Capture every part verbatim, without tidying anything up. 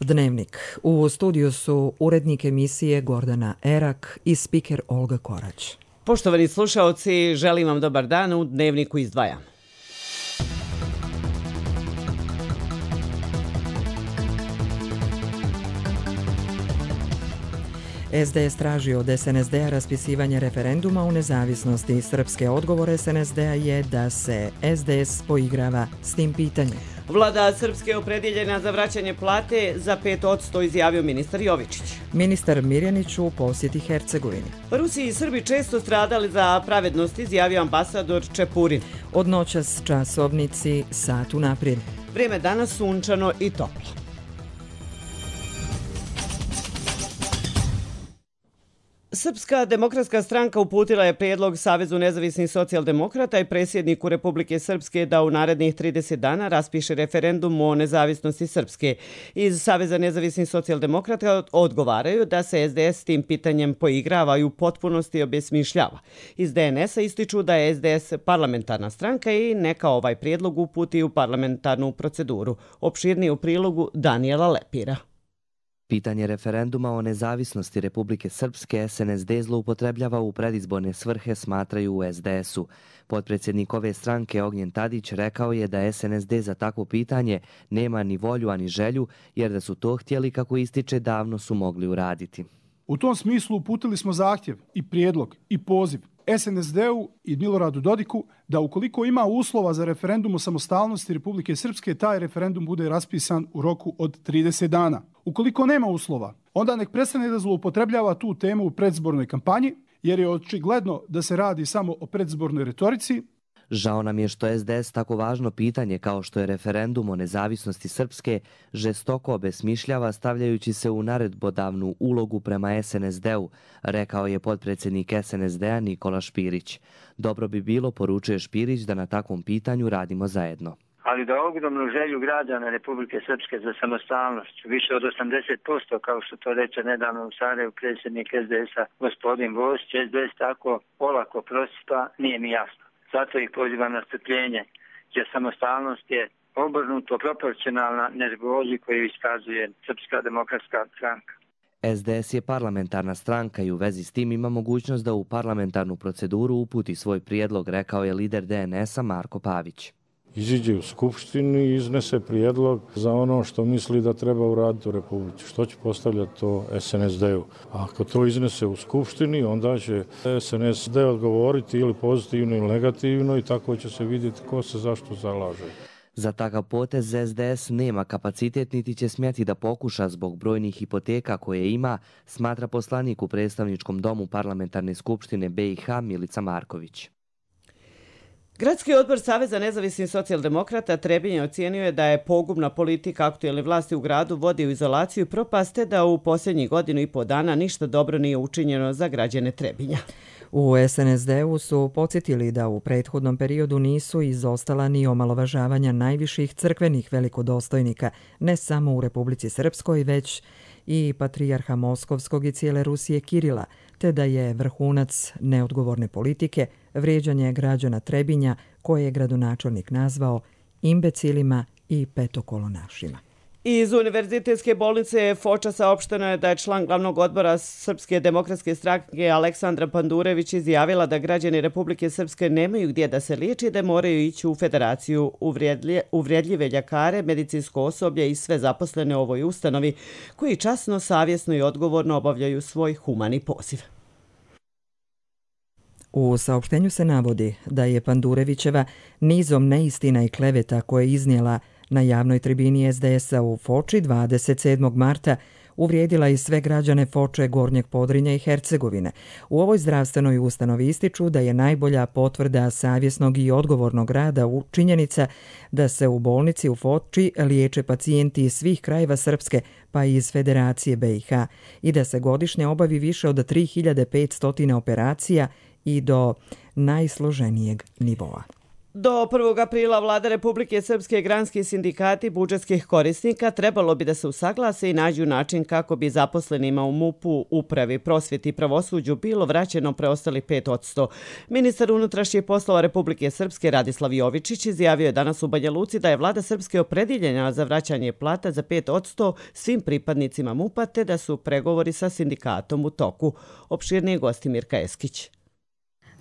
Dnevnik. U studiju su urednik emisije Gordana Erak i spiker Olga Korać. Poštovani slušaoci, želim vam dobar dan, u Dnevniku izdvajam. es de es traži od es en es de a raspisivanje referenduma u nezavisnosti. Srpske odgovor es en es de a je da se es de es poigrava s tim pitanjem. Vlada Srpske je opredjeljena za vraćanje plate za pet posto, izjavio ministar Jovičić. Ministar Mirjanić u posjeti Hercegovini. Rusi i Srbi često stradali za pravednost, izjavio ambasador Čepurin. Od noćas časovnici sat unaprijed. Vrijeme danas sunčano i toplo. Srpska demokratska stranka uputila je prijedlog Savezu nezavisnih socijaldemokrata i predsjedniku Republike Srpske da u narednih trideset dana raspiše referendum o nezavisnosti Srpske. Iz Saveza nezavisnih socijaldemokrata odgovaraju da se es de es s tim pitanjem poigrava i u potpunosti obesmišljava. Iz de en es a ističu da je es de es parlamentarna stranka i neka ovaj prijedlog uputi u parlamentarnu proceduru. Opširnije u prilogu Danijela Lepira. Pitanje referenduma o nezavisnosti Republike Srpske es en es de zloupotrebljava u predizborne svrhe, smatraju u es de es-u. Potpredsjednik ove stranke Ognjen Tadić rekao je da es en es de za takvo pitanje nema ni volju ani želju, jer da su to htjeli, kako ističe, davno su mogli uraditi. U tom smislu uputili smo zahtjev i prijedlog i poziv es en es de-u i Miloradu Dodiku da ukoliko ima uslova za referendum o samostalnosti Republike Srpske, taj referendum bude raspisan u roku od trideset dana. Ukoliko nema uslova, onda nek prestane da zloupotrebljava tu temu u predizbornoj kampanji, jer je očigledno da se radi samo o predizbornoj retorici. Žao nam je što es de es tako važno pitanje kao što je referendum o nezavisnosti Srpske žestoko obesmišljava, stavljajući se u naredbodavnu ulogu prema es en es de-u, rekao je potpredsjednik es en es de-a Nikola Špirić. Dobro bi bilo, poručuje Špirić, da na takvom pitanju radimo zajedno. Ali da ogromnu želju građana Republike Srpske za samostalnost, više od osamdeset posto, kao što to reče nedavno u Sarajevu predsjednik es de es a gospodin Vosić, es de es tako olako prosipa, nije mi jasno. Zato ih pozivam na strpljenje, jer samostalnost je obrnuto proporcionalna nervozi koju iskazuje Srpska demokratska stranka. es de es je parlamentarna stranka i u vezi s tim ima mogućnost da u parlamentarnu proceduru uputi svoj prijedlog, rekao je lider de en es a Marko Pavić. Iziđe u Skupštini i iznese prijedlog za ono što misli da treba uraditi u Republici. Što će postavljati to es en es de-u? Ako to iznese u Skupštini, onda će es en es de odgovoriti ili pozitivno ili negativno i tako će se vidjeti ko se zašto zalaže. Za takav potez es de es nema kapacitet niti će smjeti da pokuša zbog brojnih hipoteka koje ima, smatra poslanik u predstavničkom domu Parlamentarne skupštine be i ha Milica Marković. Gradski odbor Saveza nezavisnih socijaldemokrata Trebinje ocijenio je da je pogubna politika aktuelne vlasti u gradu vodi u izolaciju i propast, te da u posljednjih godinu i po dana ništa dobro nije učinjeno za građane Trebinja. U es en es de-u su podsjetili da u prethodnom periodu nisu izostala ni omalovažavanja najviših crkvenih velikodostojnika, ne samo u Republici Srpskoj, već i patrijarha Moskovskog i cijele Rusije Kirila, te da je vrhunac neodgovorne politike vrijeđanje građana Trebinja, koje je gradonačelnik nazvao imbecilima i petokolonašima. Iz Univerzitetske bolnice Foča saopšteno je da je član glavnog odbora Srpske demokratske stranke Aleksandra Pandurević izjavila da građani Republike Srpske nemaju gdje da se liječi, da moraju ići u federaciju. Uvredljive ljekare, medicinsko osoblje i sve zaposlene u ovoj ustanovi, koji časno, savjesno i odgovorno obavljaju svoj humani poziv. U saopštenju se navodi da je Pandurevićeva nizom neistina i kleveta koje je iznijela na javnoj tribini es de es a u Foči dvadeset sedmog marta uvrijedila i sve građane Foče, Gornjeg Podrinja i Hercegovine. U ovoj zdravstvenoj ustanovi ističu da je najbolja potvrda savjesnog i odgovornog rada u činjenica da se u bolnici u Foči liječe pacijenti iz svih krajeva Srpske, pa i iz Federacije be i ha, i da se godišnje obavi više od tri hiljade petsto operacija i do najsloženijeg nivoa. Do prvog aprila vlada Republike Srpske i granski sindikati budžetskih korisnika trebalo bi da se usaglase i nađu način kako bi zaposlenima u MUP-u, upravi, prosvjeti i pravosuđu bilo vraćeno preostali pet posto. Ministar unutrašnjih poslova Republike Srpske Radislav Jovičić izjavio je danas u Banja Luci da je vlada Srpske opredjeljena za vraćanje plata za pet posto svim pripadnicima MUP-a te da su pregovori sa sindikatom u toku. Opširniji gosti Mirka Eskić.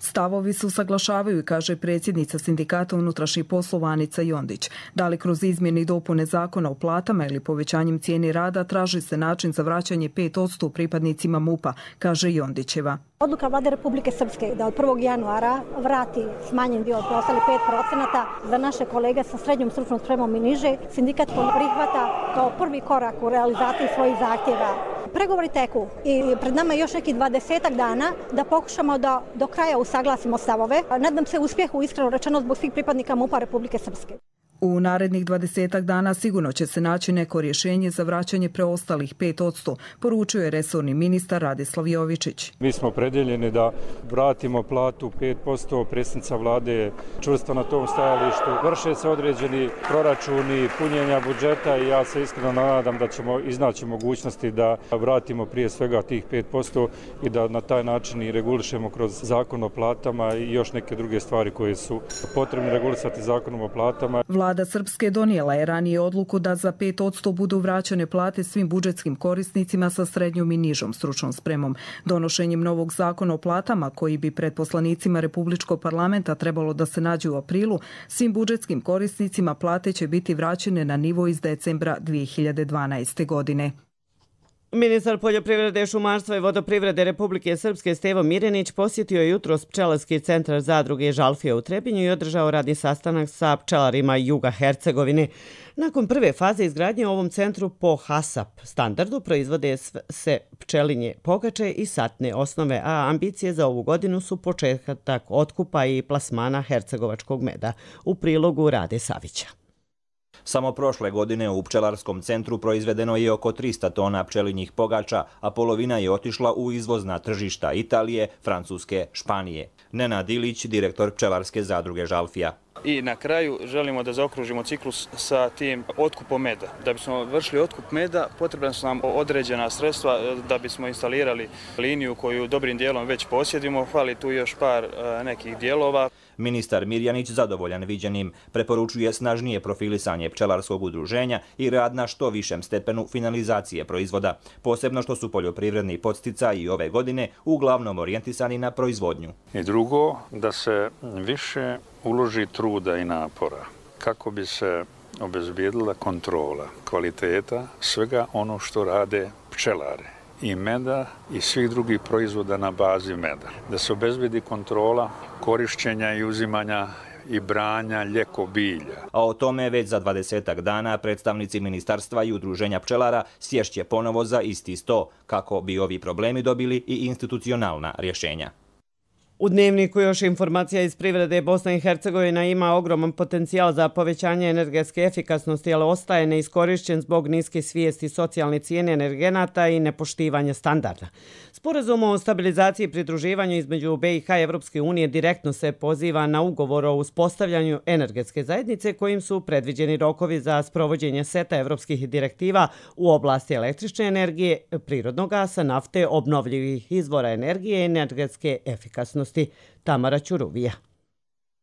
Stavovi se usaglašavaju, kaže predsjednica sindikata unutrašnjih poslova Anica Jondić. Da li kroz izmjene i dopune zakona o platama ili povećanjem cijeni rada traži se način za vraćanje pet posto pripadnicima MUP-a, kaže Jondićeva. Odluka vlade Republike Srpske da od prvog januara vrati smanjen dio od preostalih pet procenata za naše kolege sa srednjom stručnom spremom i niže, sindikat prihvata kao prvi korak u realizaciji svojih zahtjeva. Pregovori teku i pred nama je još neki dvadesetak dana da pokušamo da do kraja usaglasimo stavove. Nadam se uspjehu, iskreno rečeno, zbog svih pripadnika MUP-a Republike Srpske. U narednih dvadesetak dana sigurno će se naći neko rješenje za vraćanje preostalih pet posto, poručuje resorni ministar Radislav Jovičić. Mi smo opredjeljeni da vratimo platu pet posto, predsjednica vlade je čvrsto na tom stajalištu. Vrše se određeni proračuni punjenja budžeta i ja se iskreno nadam da ćemo iznaći mogućnosti da vratimo prije svega tih pet posto i da na taj način i regulišemo kroz zakon o platama i još neke druge stvari koje su potrebne regulisati zakonom o platama. Vlada Srpske donijela je ranije odluku da za pet posto budu vraćane plate svim budžetskim korisnicima sa srednjom i nižom stručnom spremom. Donošenjem novog zakona o platama, koji bi pred poslanicima Republičkog parlamenta trebalo da se nađe u aprilu, svim budžetskim korisnicima plate će biti vraćene na nivo iz decembra dvije hiljade dvanaeste. godine. Ministar poljoprivrede, šumarstva i vodoprivrede Republike Srpske Stevo Mirjanić posjetio je jutros pčelarski centar zadruge Žalfija u Trebinju i održao radni sastanak sa pčelarima Juga Hercegovine. Nakon prve faze izgradnje u ovom centru po HASAP standardu proizvode se pčelinje pogače i satne osnove, a ambicije za ovu godinu su početak otkupa i plasmana hercegovačkog meda. U prilogu Rade Savića. Samo prošle godine u pčelarskom centru proizvedeno je oko trista tona pčelinjih pogača, a polovina je otišla u izvozna tržišta Italije, Francuske, Španije. Nenad Ilić, direktor pčelarske zadruge Žalfija. I na kraju želimo da zaokružimo ciklus sa tim otkupom meda. Da bismo vršili otkup meda, potrebna su nam određena sredstva da bismo instalirali liniju koju dobrim dijelom već posjedimo. Hvali tu još par nekih dijelova. Ministar Mirjanić, zadovoljan viđenim, preporučuje snažnije profilisanje pčelarskog udruženja i rad na što višem stepenu finalizacije proizvoda, posebno što su poljoprivredni podsticaji ove godine uglavnom orijentisani na proizvodnju. I drugo, da se više uloži truda i napora kako bi se obezbijedila kontrola kvaliteta svega ono što rade pčelare i meda i svih drugih proizvoda na bazi meda. Da se obezbedi kontrola korišćenja i uzimanja i branja ljeko bilja. A o tome već za dvadesetak dana predstavnici ministarstva i udruženja pčelara sješće ponovo za isti sto kako bi ovi problemi dobili i institucionalna rješenja. U Dnevniku još informacija iz privrede. Bosna i Hercegovina ima ogroman potencijal za povećanje energetske efikasnosti, ali ostaje neiskorišćen zbog niske svijesti socijalne cijene energenata i nepoštivanja standarda. Sporazum o stabilizaciji i pridruživanju između B i H i Evropske unije direktno se poziva na ugovor o uspostavljanju energetske zajednice kojim su predviđeni rokovi za sprovođenje seta evropskih direktiva u oblasti električne energije, prirodnog gasa, nafte, obnovljivih izvora energije i energetske efikasnosti. Tamara Ćuruvija.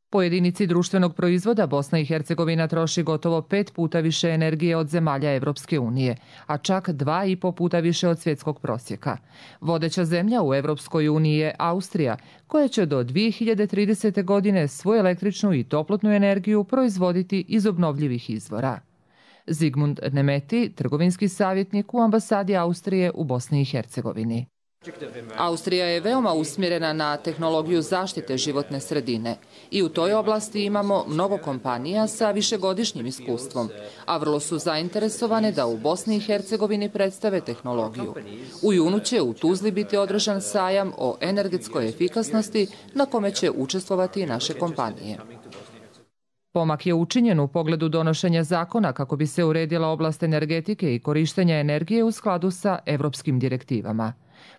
Po jedinici društvenog proizvoda Bosna i Hercegovina troši gotovo pet puta više energije od zemalja Evropske unije, a čak dva i po puta više od svjetskog prosjeka. Vodeća zemlja u Evropskoj uniji je Austrija, koja će do dvije hiljade tridesete. godine svoju električnu i toplotnu energiju proizvoditi iz obnovljivih izvora. Zigmund Nemeti, trgovinski savjetnik u ambasadi Austrije u Bosni i Hercegovini. Austrija je veoma usmjerena na tehnologiju zaštite životne sredine i u toj oblasti imamo mnogo kompanija sa višegodišnjim iskustvom, a vrlo su zainteresovane da u Bosni i Hercegovini predstave tehnologiju. U junu će u Tuzli biti održan sajam o energetskoj efikasnosti na kome će učestvovati i naše kompanije. Pomak je učinjen u pogledu donošenja zakona kako bi se uredila oblast energetike i korištenja energije u skladu sa evropskim direktivama.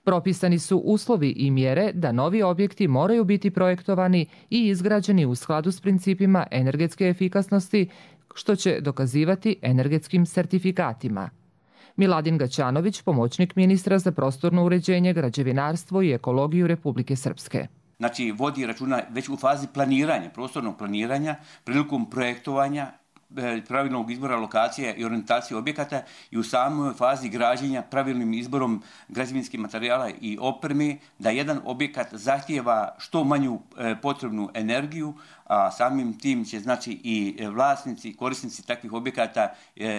Propisani su uslovi i mjere da novi objekti moraju biti projektovani i izgrađeni u skladu s principima energetske efikasnosti, što će dokazivati energetskim sertifikatima. Miladin Gaćanović, pomoćnik ministra za prostorno uređenje, građevinarstvo i ekologiju Republike Srpske. Znači, vodi računa već u fazi planiranja, prostornog planiranja, prilikom projektovanja, pravilnog izbora lokacije i orijentacije objekata i u samoj fazi građenja pravilnim izborom građevinskih materijala i opreme, da jedan objekat zahtijeva što manju potrebnu energiju, a samim tim će znači i vlasnici i korisnici takvih objekata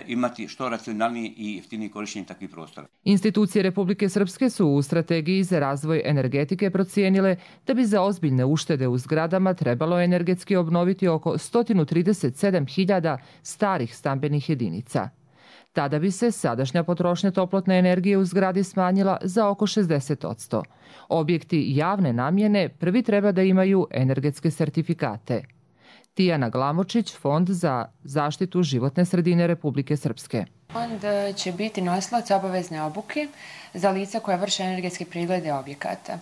imati što racionalnije i jeftinije korištenje takvih prostora. Institucije Republike Srpske su u strategiji za razvoj energetike procijenile da bi za ozbiljne uštede u zgradama trebalo energetski obnoviti oko sto trideset sedam hiljada starih stambenih jedinica. Tada bi se sadašnja potrošnja toplotne energije u zgradi smanjila za oko šezdeset posto. Objekti javne namjene prvi treba da imaju energetske sertifikate. Tijana Glamočić, Fond za zaštitu životne sredine Republike Srpske. Fond će biti nosilac obavezne obuke za lica koja vrše energetske preglede objekata.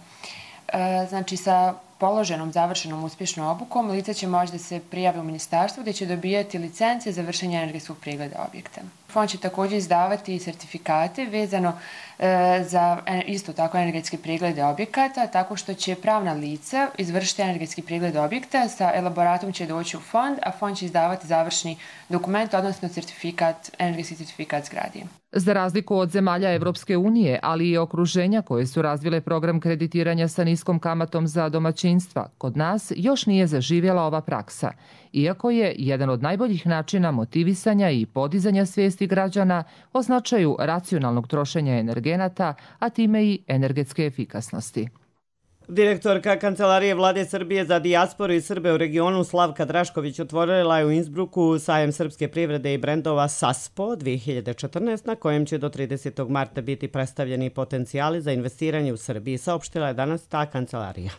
Znači, sa položenom, završenom uspješnom obukom, lice će moći da se prijave u ministarstvo gdje će dobijati licence za vršenje energetskog pregleda objekta. Fond će također izdavati sertifikate vezano e, za isto tako energetske preglede objekata, tako što će pravna lica izvršiti energetski pregled objekta, sa elaboratom će doći u fond, a fond će izdavati završni dokument, odnosno certifikat, energetski certifikat zgradi. Za razliku od zemalja Evropske unije, ali i okruženja koje su razvile program kreditiranja sa niskom kamatom za domaćinstva, kod nas još nije zaživjela ova praksa, iako je jedan od najboljih načina motivisanja i podizanja svijesti građana o značaju racionalnog trošenja energenata, a time i energetske efikasnosti. Direktorka Kancelarije Vlade Srbije za dijasporu i Srbe u regionu Slavka Drašković otvorila je u Innsbrucku sajem srpske privrede i brendova SASPO dvije hiljade četrnaest, na kojem će do tridesetog marta biti predstavljeni potencijali za investiranje u Srbiji, saopštila je danas ta kancelarija.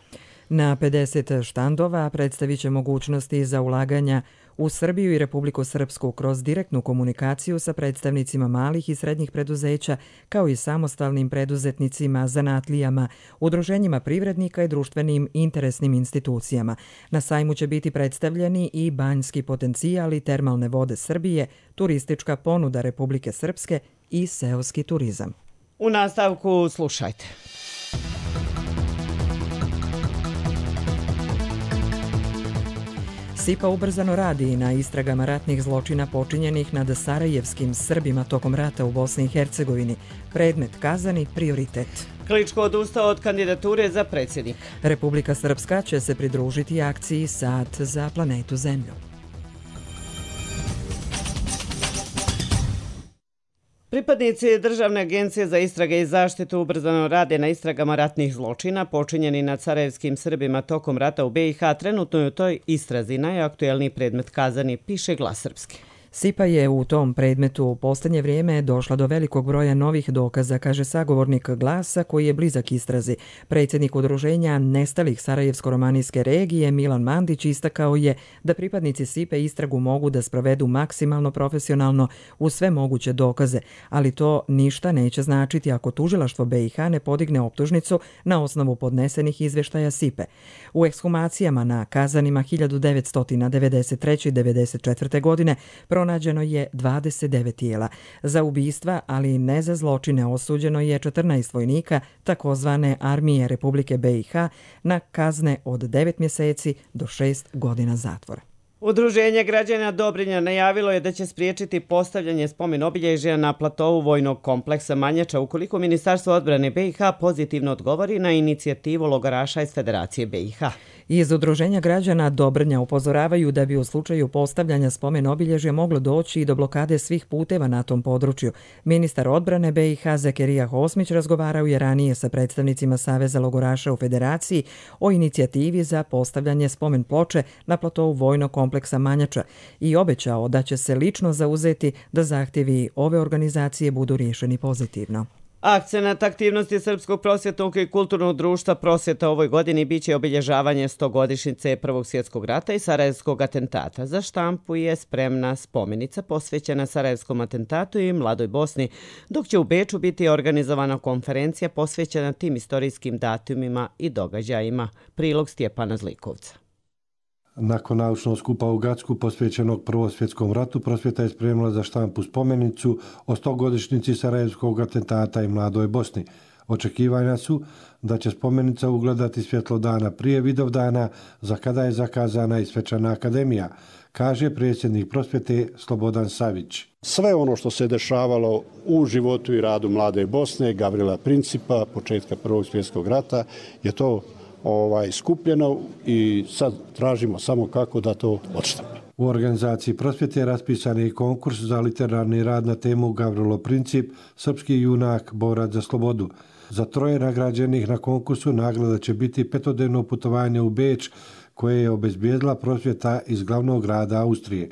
Na pedeset štandova predstavit će mogućnosti za ulaganja u Srbiju i Republiku Srpsku kroz direktnu komunikaciju sa predstavnicima malih i srednjih preduzeća, kao i samostalnim preduzetnicima, zanatlijama, udruženjima privrednika i društvenim interesnim institucijama. Na sajmu će biti predstavljeni i banjski potencijal i termalne vode Srbije, turistička ponuda Republike Srpske i seoski turizam. U nastavku slušajte. SIPA ubrzano radi na istragama ratnih zločina počinjenih nad sarajevskim Srbima tokom rata u Bosni i Hercegovini. Predmet kazani prioritet. Kličko odustao od kandidature za predsjednika. Republika Srpska će se pridružiti akciji Sat za planetu Zemlju. Pripadnici Državne agencije za istrage i zaštitu ubrzano rade na istragama ratnih zločina počinjeni nad sarajevskim Srbima tokom rata u B i H. Trenutno je u toj istrazi najaktuelniji predmet kazani, piše Glas Srpski. SIPA je u tom predmetu u posljednje vrijeme došla do velikog broja novih dokaza, kaže sagovornik Glasa koji je blizak istrazi. Predsjednik udruženja nestalih Sarajevsko-romanijske regije Milan Mandić istakao je da pripadnici SIPA istragu mogu da sprovedu maksimalno profesionalno u sve moguće dokaze, ali to ništa neće značiti ako tužilaštvo B i H ne podigne optužnicu na osnovu podnesenih izvještaja SIPA. U ekshumacijama na kazanima hiljadu devetsto devedeset treće i devedeset četvrte. godine pronađeno je dvadeset devet tijela. Za ubistva, ali ne za zločine, osuđeno je četrnaest vojnika takozvane armije Republike B i H na kazne od devet mjeseci do šest godina zatvora. Udruženje građana Dobrinja najavilo je da će spriječiti postavljanje spomen obilježja na platovu vojnog kompleksa Manjača ukoliko Ministarstvo odbrane B i H pozitivno odgovori na inicijativu logoraša iz Federacije B i H. Iz Udruženja građana Dobrnja upozoravaju da bi u slučaju postavljanja spomen obilježja moglo doći i do blokade svih puteva na tom području. Ministar odbrane B i H Zekerija Hosmić razgovarao je ranije sa predstavnicima Saveza logoraša u Federaciji o inicijativi za postavljanje spomen ploče na platovu vojnog kompleksa Manjača i obećao da će se lično zauzeti da zahtjevi ove organizacije budu riješeni pozitivno. Akcenat aktivnosti Srpskog prosvjetnog i kulturnog društva Prosvjeta ovoj godini biće obilježavanje stogodišnjice Prvog svjetskog rata i Sarajevskog atentata. Za štampu je spremna spomenica posvećena Sarajevskom atentatu i Mladoj Bosni, dok će u Beču biti organizovana konferencija posvećena tim istorijskim datumima i događajima. Prilog Stjepana Zlikovca. Nakon naučnog skupa u Gacku posvećenog Prvom svjetskom ratu, Prosvjeta je spremila za štampu spomenicu o stogodišnjici Sarajevskog atentata i Mladoj Bosni. Očekivanja su da će spomenica ugledati svjetlo dana prije Vidovdana, za kada je zakazana i svečana akademija, kaže predsjednik Prosvjete Slobodan Savić. Sve ono što se dešavalo u životu i radu Mlade Bosne, Gavrila Principa, početka Prvog svjetskog rata, je to ovaj skupljeno i sad tražimo samo kako da to odštampa. U organizaciji Prosvjete je raspisan i konkurs za literarni rad na temu Gavrilo Princip, srpski junak, borac za slobodu. Za troje nagrađenih na konkursu nagrada će biti petodnevno putovanje u Beč koje je obezbijedila Prosvjeta iz glavnog grada Austrije.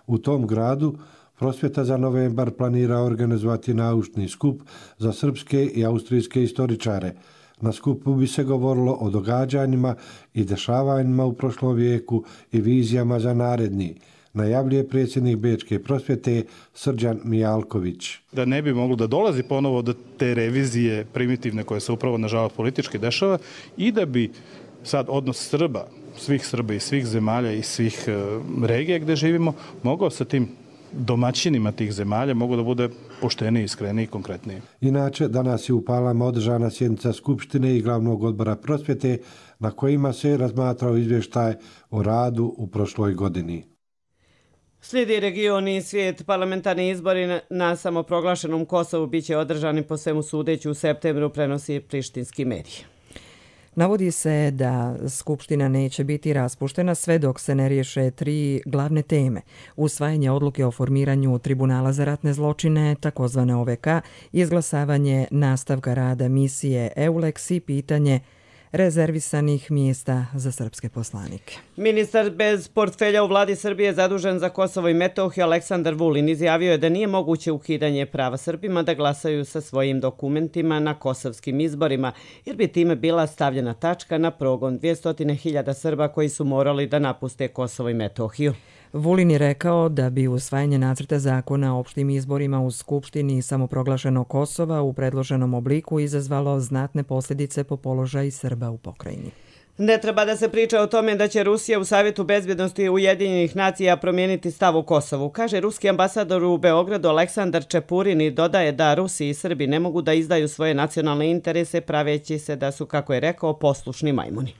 U tom gradu Prosvjeta za novembar planira organizovati naučni skup za srpske i austrijske istoričare. Na skupu bi se govorilo o događanjima i dešavanjima u prošlom vijeku i vizijama za naredni, najavljuje predsjednik Bečke Prosvjete Srđan Mijalković. Da ne bi moglo da dolazi ponovo do te revizije primitivne koje se upravo nažalost politički dešava i da bi sad odnos Srba, svih Srba i svih zemalja i svih regija gdje živimo, mogao sa tim domaćinima tih zemalja mogu da bude pošteniji, iskreniji i konkretniji. Inače, danas je u Palama održana sjednica Skupštine i Glavnog odbora Prosvjete na kojima se razmatrao izvještaj o radu u prošloj godini. Slijedi region i svijet. Parlamentarni izbori na samoproglašenom Kosovu biće održani po svemu sudeći u septembru, prenosi prištinski mediji. Navodi se da Skupština neće biti raspuštena sve dok se ne riješe tri glavne teme. Usvajanje odluke o formiranju Tribunala za ratne zločine, takozvane O V K, izglasavanje nastavka rada misije EULEX i pitanje rezervisanih mjesta za srpske poslanike. Ministar bez portfelja u vladi Srbije zadužen za Kosovo i Metohiju Aleksandar Vulin izjavio je da nije moguće ukidanje prava Srbima da glasaju sa svojim dokumentima na kosovskim izborima, jer bi time bila stavljena tačka na progon dvjesto hiljada Srba koji su morali da napuste Kosovo i Metohiju. Vulin je rekao da bi usvajanje nacrta zakona o opštim izborima u Skupštini samoproglašenog Kosova u predloženom obliku izazvalo znatne posljedice po položaj Srba u pokrajini. Ne treba da se priča o tome da će Rusija u Savjetu bezbjednosti Ujedinjenih nacija promijeniti stav u Kosovu, kaže ruski ambasador u Beogradu Aleksandar Čepurin i dodaje da Rusi i Srbi ne mogu da izdaju svoje nacionalne interese praveći se da su, kako je rekao, poslušni majmuni.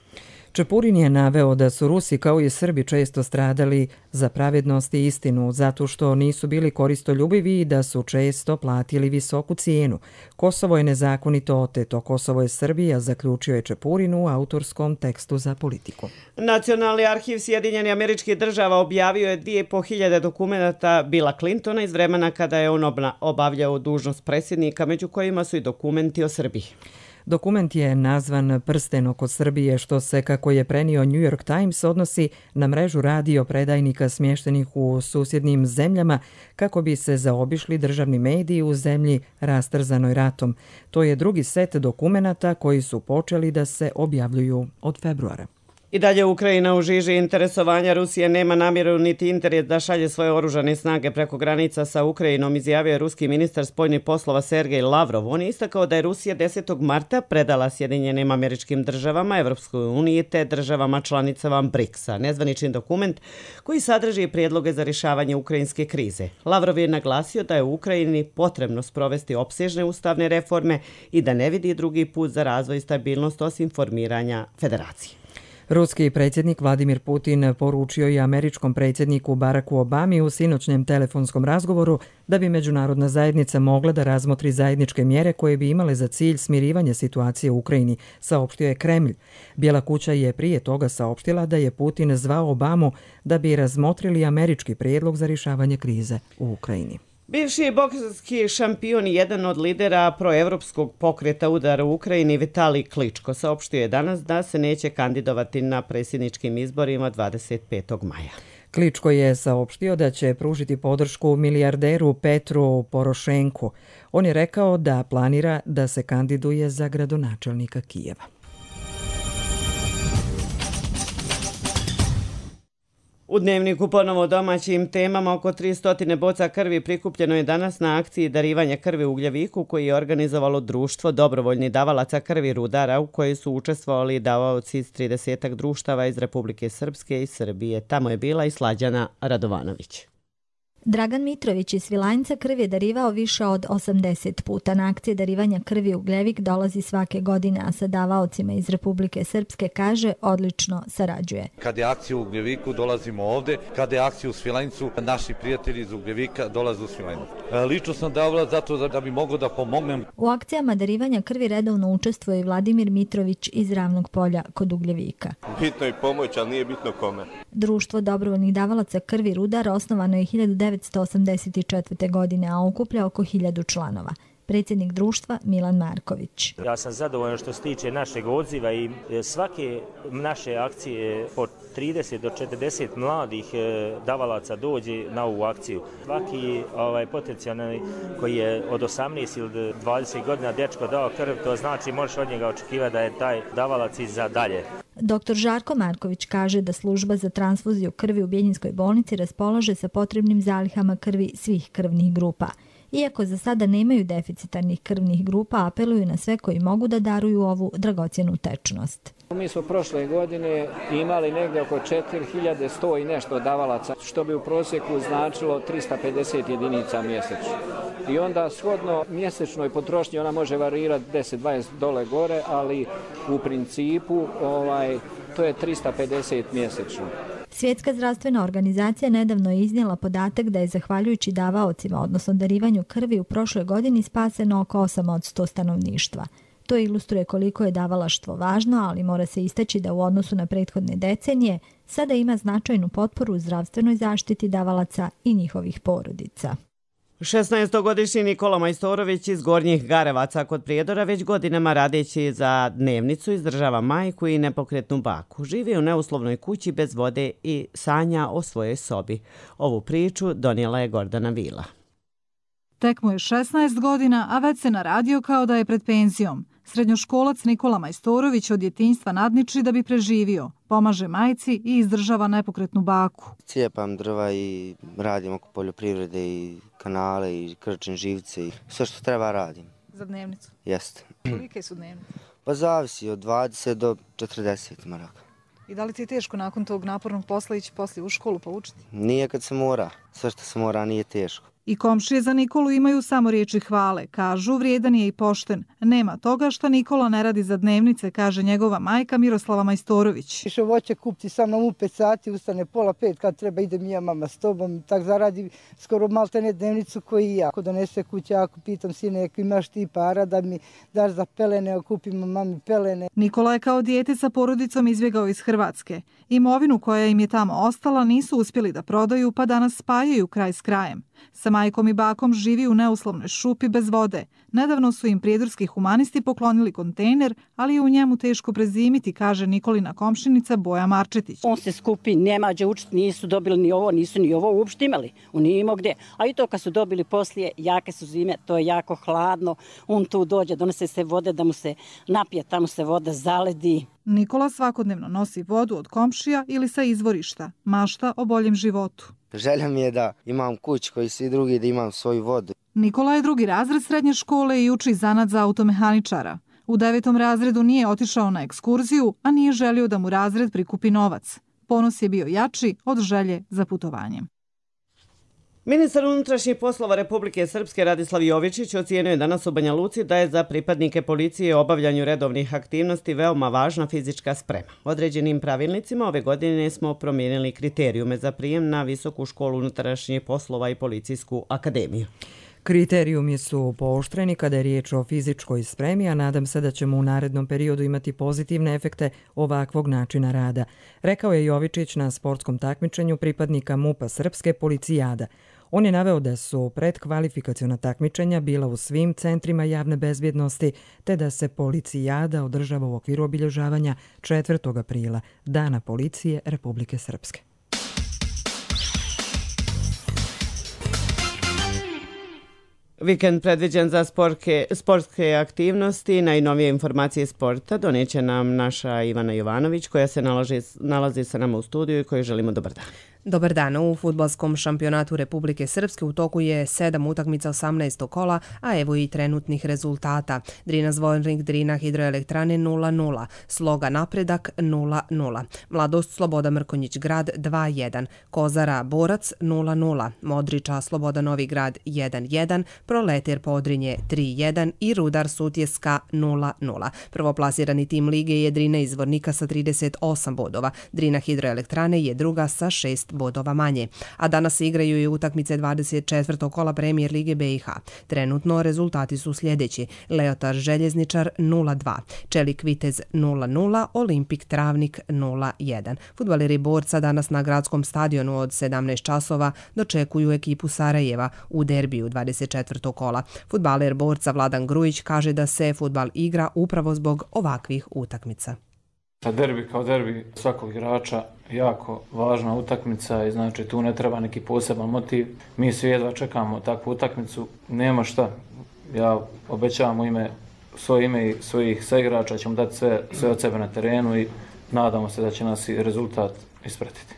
Čepurin je naveo da su Rusi kao i Srbi često stradali za pravednost i istinu zato što nisu bili koristoljubivi i da su često platili visoku cijenu. Kosovo je nezakonito oteto, Kosovo je Srbija, zaključio je Čepurin u autorskom tekstu za Politiku. Nacionalni arhiv Sjedinjenih Američkih Država objavio je dvije i po hiljade dokumenata Billa Clintona iz vremena kada je on obavljao dužnost predsjednika, među kojima su i dokumenti o Srbiji. Dokument je nazvan Prsten oko Srbije, što se, kako je prenio New York Times, odnosi na mrežu radio predajnika smještenih u susjednim zemljama kako bi se zaobišli državni mediji u zemlji rastrzanoj ratom. To je drugi set dokumenata koji su počeli da se objavljuju od februara. I dalje Ukrajina u žiži interesovanja. Rusije nema namjeru niti interes da šalje svoje oružane snage preko granica sa Ukrajinom, izjavio je ruski ministar spoljnih poslova Sergej Lavrov. On je istakao da je Rusija desetog marta predala Sjedinjenim Američkim Državama, Evropskoj uniji te državama članicama briksa nezvanični dokument koji sadrži prijedloge za rješavanje ukrajinske krize. Lavrov je naglasio da je u Ukrajini potrebno sprovesti opsežne ustavne reforme i da ne vidi drugi put za razvoj i stabilnost osim formiranja federacije. Ruski predsjednik Vladimir Putin poručio je američkom predsjedniku Baracku Obami u sinoćnjem telefonskom razgovoru da bi međunarodna zajednica mogla da razmotri zajedničke mjere koje bi imale za cilj smirivanje situacije u Ukrajini, saopštio je Kremlj. Bijela kuća je prije toga saopštila da je Putin zvao Obamu da bi razmotrili američki prijedlog za rješavanje krize u Ukrajini. Bivši boksarski šampion i jedan od lidera proevropskog pokreta udara u Ukrajini Vitalij Kličko saopštio je danas da se neće kandidovati na predsjedničkim izborima dvadeset petog maja. Kličko je saopštio da će pružiti podršku milijarderu Petru Porošenku. On je rekao da planira da se kandiduje za gradonačelnika Kijeva. U Dnevniku ponovo domaćim temama oko tristo boca krvi prikupljeno je danas na akciji darivanja krvi u Ugljeviku koji je organizovalo društvo dobrovoljnih davalaca krvi Rudara u kojoj su učestvovali davaoci iz tridesetak društava iz Republike Srpske i Srbije. Tamo je bila i Slađana Radovanović. Dragan Mitrović iz Svilajnca krv je darivao više od osamdeset puta. Na akcije darivanja krvi u Gljevik dolazi svake godine, a sa davaocima iz Republike Srpske, kaže, odlično sarađuje. Kad je akcija u Gljeviku, dolazimo ovde. Kad je akcija u Svilajncu, naši prijatelji iz Ugljevika dolaze u Svilajnac. Lično sam davala zato da bi mogao da pomognem. U akcijama darivanja krvi redovno učestvuje i Vladimir Mitrović iz Ravnog polja kod Ugljevika. Bitno je pomoć, ali nije bitno kome. Društvo dobrovoljnih davalaca krvi Rudar osnovano je hiljadu devetsto osamdeset četvrte. godine, a okuplja oko hiljadu članova. Predsjednik društva Milan Marković. Ja sam zadovoljan što se tiče našeg odziva i svake naše akcije po trideset do četrdeset mladih davalaca dođe na ovu akciju. Svaki ovaj, potencijalni koji je od osamnaest ili dvadeset godina dečko dao krv, to znači možeš od njega očekivati da je taj davalac i za dalje. Doktor Žarko Marković kaže da služba za transfuziju krvi u Bjeljinskoj bolnici raspolaže sa potrebnim zalihama krvi svih krvnih grupa. Iako za sada nemaju deficitarnih krvnih grupa, apeluju na sve koji mogu da daruju ovu dragocjenu tečnost. Mi smo prošle godine imali negdje oko četiri hiljade sto i nešto davalaca, što bi u prosjeku značilo trista pedeset jedinica mjesečno. I onda shodno mjesečnoj potrošnji ona može varirati deset do dvadeset dole gore, ali u principu ovaj, to je trista pedeset mjesečno. Svjetska zdravstvena organizacija nedavno je iznijela podatak da je zahvaljujući davaocima, odnosno darivanju krvi, u prošloj godini spaseno oko osam posto stanovništva. To ilustruje koliko je davalaštvo važno, ali mora se istaći da u odnosu na prethodne decenije sada ima značajnu potporu u zdravstvenoj zaštiti davalaca i njihovih porodica. šesnaestogodišnji Nikola Majstorović iz Gornjih Garevaca kod Prijedora već godinama radeći za dnevnicu izdržava majku i nepokretnu baku. Živi u neuslovnoj kući bez vode i sanja o svojoj sobi. Ovu priču donijela je Gordana Vila. Tek mu je šesnaest godina, a već se naradio kao da je pred penzijom. Srednjoškolac Nikola Majstorović od djetinjstva nadniči da bi preživio. Pomaže majci i izdržava nepokretnu baku. Cijepam drva i radim oko poljoprivrede i kanale i krčim živce i sve što treba radim. Za dnevnicu? Jeste. Kolike su dnevnice? Pa zavisi od dvadeset do četrdeset maraka. I da li ti je teško nakon tog napornog posla ići poslije u školu pa učiti? Nije kad se mora. Sve što se mora nije teško. I komšije za Nikolu imaju samo riječi hvale. Kažu, vrijedan je i pošten. Nema toga što Nikola ne radi za dnevnice, kaže njegova majka Miroslava Majstorović. Išao voće kupiti sa mnom u pet sati, ustane pola pet, kad treba idem ja mama s tobom. Tak zaradi skoro maltene dnevnicu koji i ja. Ako donese kuće, ako pitam sine, ako imaš ti para da mi daš za pelene, ako kupimo mami pelene. Nikola je kao dijete sa porodicom izbjegao iz Hrvatske. Imovinu koja im je tamo ostala nisu uspjeli da prodaju, pa danas spajaju kraj s krajem. Sa majkom i bakom živi u neuslovnoj šupi bez vode. Nedavno su im prijedorski humanisti poklonili kontejner, ali je u njemu teško prezimiti, kaže Nikolina komšinica Boja Marčetić. On se skupi, nema gdje učiti, nisu dobili ni ovo, nisu ni ovo uopšte imali. On nije imao gdje. A i to kad su dobili poslije, jake su zime, to je jako hladno. On tu dođe, donese se vode da mu se napije, tamo se voda zaledi. Nikola svakodnevno nosi vodu od komšija ili sa izvorišta. Mašta o boljem životu. Želja mi je da imam kuć koji svi drugi, da imam svoju vodu. Nikola je drugi razred srednje škole i uči zanat za automehaničara. U devetom razredu nije otišao na ekskurziju, a nije želio da mu razred prikupi novac. Ponos je bio jači od želje za putovanjem. Ministar unutrašnjih poslova Republike Srpske Radislav Jovičić ocijenio je danas u Banja Luci da je za pripadnike policije u obavljanju redovnih aktivnosti veoma važna fizička sprema. Određenim pravilnicima ove godine smo promijenili kriterijume za prijem na Visoku školu unutrašnjih poslova i Policijsku akademiju. Kriterijumi su pooštreni kada je riječ o fizičkoj spremi, a nadam se da ćemo u narednom periodu imati pozitivne efekte ovakvog načina rada, rekao je Jovičić na sportskom takmičenju pripadnika MUP-a Srpske Policijada. On je naveo da su predkvalifikaciona takmičenja bila u svim centrima javne bezbjednosti, te da se Policijada održava u okviru obilježavanja četvrtog aprila, Dana policije Republike Srpske. Vikend predviđen za sportske, sportske aktivnosti. Najnovije informacije sporta doneće nam naša Ivana Jovanović, koja se nalazi, nalazi sa nama u studiju i kojoj želimo dobar dan. Dobar dan. U fudbalskom šampionatu Republike Srpske u toku je sedam utakmica osamnaestog kola, a evo i trenutnih rezultata. Drina Zvornik, Drina Hidroelektrane nula nula, Sloga Napredak nula nula, Mladost Sloboda Mrkonjić Grad dva jedan, Kozara Borac nula nula, Modriča Sloboda Novi Grad jedan jedan, Proleter Podrinje tri jedan i Rudar Sutjeska nula nula. Prvoplasirani tim lige je Drina iz Zvornika sa trideset osam bodova, Drina Hidroelektrane je druga sa šest bodova manje. A danas se igraju i utakmice dvadeset četvrtog kola Premijer lige B i H. Trenutno rezultati su sljedeći: Leotar Željezničar nula dva, Čelik Vitez nula nula, Olimpik Travnik nula jedan. Fudbaleri Borca danas na gradskom stadionu od sedamnaest časova dočekuju ekipu Sarajeva u derbiju dvadeset četvrtog kola. Fudbaler Borca Vladan Grujić kaže da se fudbal igra upravo zbog ovakvih utakmica. Derbi kao derbi svakog igrača jako važna utakmica i znači tu ne treba neki poseban motiv. Mi svi jedva čekamo takvu utakmicu, nema šta. Ja obećavam u ime, svoje ime i svojih saigrača ćemo dati sve, sve od sebe na terenu i nadamo se da će nas i rezultat ispratiti.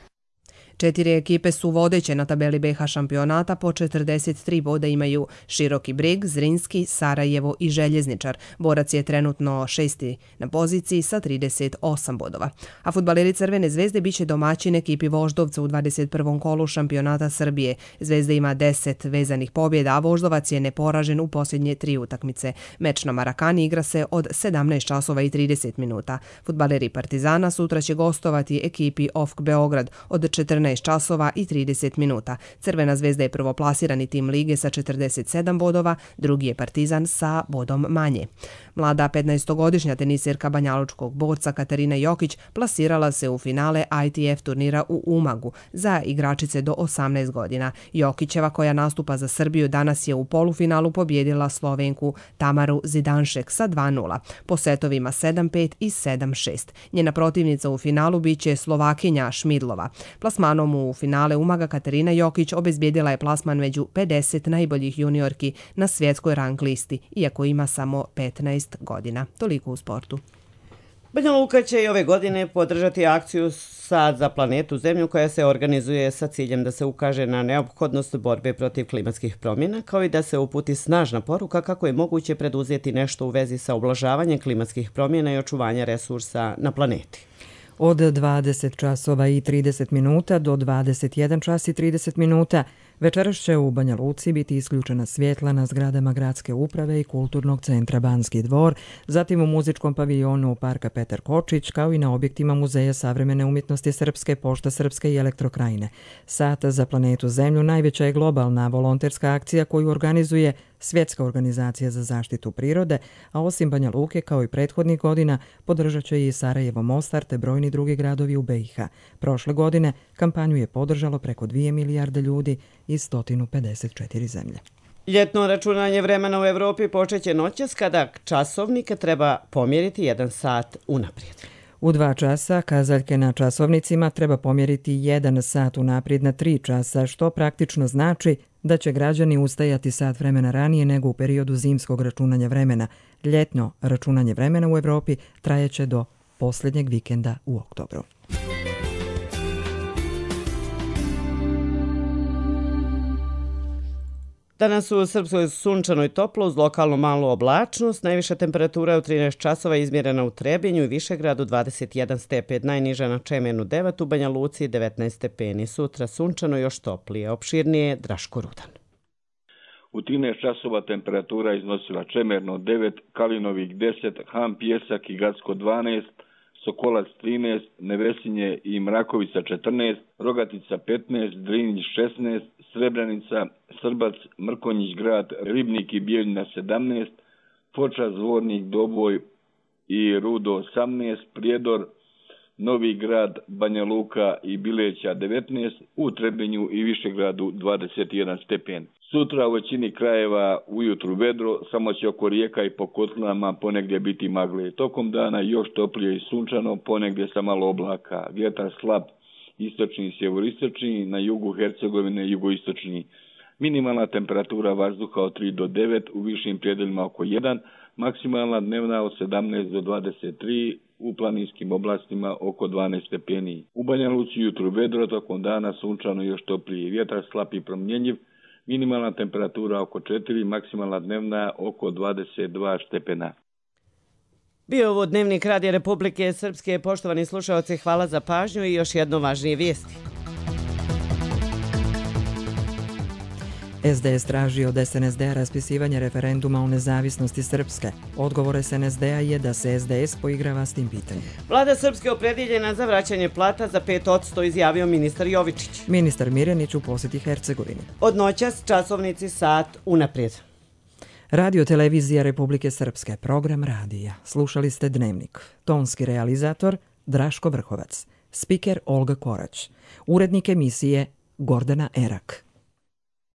Četiri ekipe su vodeće na tabeli B H šampionata, po četrdeset tri boda imaju Široki Brijeg, Zrinski, Sarajevo i Željezničar. Borac je trenutno šesti na poziciji sa trideset osam bodova. A fudbaleri Crvene zvezde biće domaćin ekipi Voždovca u dvadeset prvom kolu šampionata Srbije. Zvezda ima deset vezanih pobjeda, a Voždovac je neporažen u posljednje tri utakmice. Meč na Marakani igra se od sedamnaest časova i trideset minuta. Fudbaleri Partizana sutra će gostovati ekipi O F K Beograd od četrnaest časova i trideset minuta. Crvena zvezda je prvoplasirani tim lige sa četrdeset sedam bodova, drugi je Partizan sa bodom manje. Mlada petnaestogodišnja teniserka banjalučkog Borca Katarina Jokić plasirala se u finale I T F turnira u Umagu za igračice do osamnaest godina. Jokićeva, koja nastupa za Srbiju, danas je u polufinalu pobjedila Slovenku Tamaru Zidanšek sa dva nula, po setovima sedam pet i sedam šest. Njena protivnica u finalu biće Slovakinja Šmidlova. Plasmanom u finale Umaga Katarina Jokić obezbijedila je plasman među pedeset najboljih juniorki na svjetskoj rang listi, iako ima samo petnaest godina. Toliko u sportu. Banja Luka će i ove godine podržati akciju Sad za planetu Zemlju, koja se organizuje sa ciljem da se ukaže na neophodnost borbe protiv klimatskih promjena, kao i da se uputi snažna poruka kako je moguće preduzeti nešto u vezi sa ublažavanjem klimatskih promjena i očuvanja resursa na planeti. Od dvadeset časova i trideset minuta do dvadeset jedan čas i trideset minuta večeras će u Banja Luci biti isključena svjetla na zgradama gradske uprave i kulturnog centra Banski dvor, zatim u muzičkom paviljonu Parka Petar Kočić, kao i na objektima Muzeja savremene umjetnosti Srpske, Pošta Srpske i Elektrokrajine. Sat za planetu Zemlju najveća je globalna volonterska akcija koju organizuje Svjetska organizacija za zaštitu prirode, a osim Banja Luke, kao i prethodnih godina, podržat će i Sarajevo, Mostar te brojni drugi gradovi u B i H. Prošle godine kampanju je podržalo preko dvije milijarde ljudi iz sto pedeset četiri zemlje. Ljetno računanje vremena u Evropi počeće noćas kada časovnike treba pomjeriti jedan sat unaprijed. U dva časa kazaljke na časovnicima treba pomjeriti jedan sat unaprijed na tri časa, što praktično znači da će građani ustajati sat vremena ranije nego u periodu zimskog računanja vremena. Ljetno računanje vremena u Evropi trajeće do posljednjeg vikenda u oktobru. Danas u Srpskoj sunčano i toplo uz lokalno malu oblačnost. Najviša temperatura je u trinaest časova izmjerena u Trebinju i Višegradu dvadeset jedan stepen, najniža na Čemenu devet, u Banja Luci devetnaest stepeni. Sutra sunčano još toplije. Opširnije Draško Rudan. U trinaest časova temperatura iznosila Čemerno devet, Kalinovik deset, Han Pjesak i Gacko dvanaest, Sokolac trinaest, Nevesinje i Mrakovica četrnaest, Rogatica petnaest, Drinjić šesnaest, Srebrenica, Srbac, Mrkonjić Grad, Ribnik i Bijeljina sedamnaest, Foča, Zvornik, Doboj i Rudo osamnaest, Prijedor, Novi Grad, Banja Luka i Bileća devetnaest, u Trebinju i Višegradu dvadeset jedan stepen. Sutra u većini krajeva ujutru vedro, samo će oko rijeka i po kotlinama ponegdje biti magle. Tokom dana još toplije i sunčano, ponegdje sa malo oblaka. Vjetar slab, istočni i sjevoristočni, na jugu Hercegovine jugoistočni. Minimalna temperatura vazduha od tri do devet, u višim predelima oko jedan, maksimalna dnevna od sedamnaest do dvadeset tri, u planinskim oblastima oko dvanaest stepeni. U Banja Luci jutru vedro, tokom dana sunčano još topliji, vjetar slab i promjenjiv, minimalna temperatura oko četiri, maksimalna dnevna oko dvadeset dva stepena. Bio ovo dnevnik Radija Republike Srpske. Poštovani slušalci, hvala za pažnju i još jedno važnije vijesti. S D S traži od S N S D-a raspisivanje referenduma o nezavisnosti Srpske. Odgovor S N S D-a je da se S D S poigrava s tim pitanjem. Vlada Srpske opredjeljena za vraćanje plata za pet posto, izjavio ministar Jovičić. Ministar Mirjanić u posjeti Hercegovini. Od noćas časovnici sat unaprijed. Radio Televizija Republike Srpske, program radija. Slušali ste Dnevnik. Tonski realizator Draško Vrhovac. Spiker Olga Korać. Urednik emisije Gordana Erak.